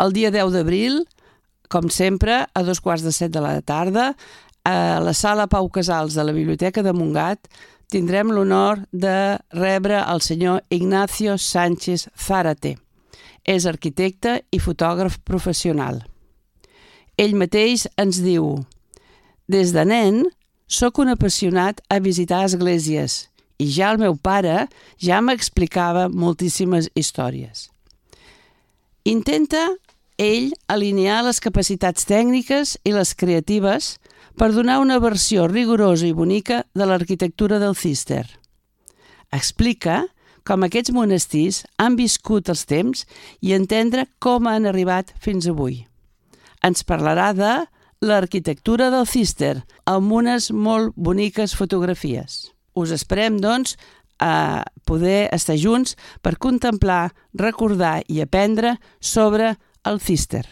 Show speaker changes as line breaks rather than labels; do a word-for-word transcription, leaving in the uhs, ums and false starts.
El dia deu d'abril, com sempre, a dos quarts de set de la tarda, a la sala Pau Casals de la Biblioteca de Montgat, tindrem l'honor de rebre el senyor Ignacio Sánchez Zárate. És arquitecte i fotògraf professional. Ell mateix ens diu: «Des de nen, sóc un apassionat a visitar esglésies i ja el meu pare ja m'explicava moltíssimes històries». Intenta ell alinear les capacitats tècniques i les creatives per donar una versió rigorosa i bonica de l'arquitectura del Cister. Explica com aquests monestirs han viscut els temps i entendre com han arribat fins avui. Ens parlarà de l'arquitectura del Cister, amb unes molt boniques fotografies. Us esperem, doncs, a poder estar junts per contemplar, recordar i aprendre sobre el Cister.